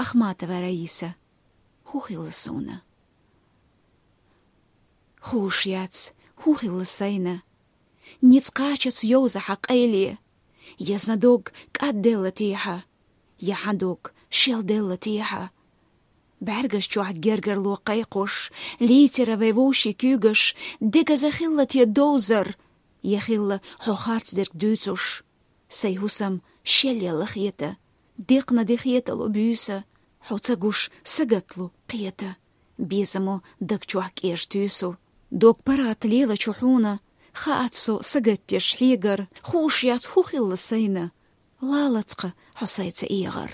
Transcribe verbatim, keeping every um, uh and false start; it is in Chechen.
Ахматова Раиса. «ХӀу хилла суна?» Хууш яц, хӀу хилла сайна. Низ кхачац йовза хьа къайле. Я зан дог кӀадделла техьа, я хьан дог шелделла техьа. БӀаргаш чохь гергарло кхайкхош, литера вай вовшийн куьйгаш, дегаза хилла те довзар, я хилла хьо харцдерг дуьйцуш. Сайн хӀусам шелъелла хета, декхна де хетало буьйса, хьо ца гуш сагатлу кхета, безамо даг чохь кӀеш туьйсу. Дог паргӀат лелачу хьуна, хаац со сагатдеш хьегар, хууш яц, хӀу хилла сайна, лалац-кха хьо сайца эгӀар.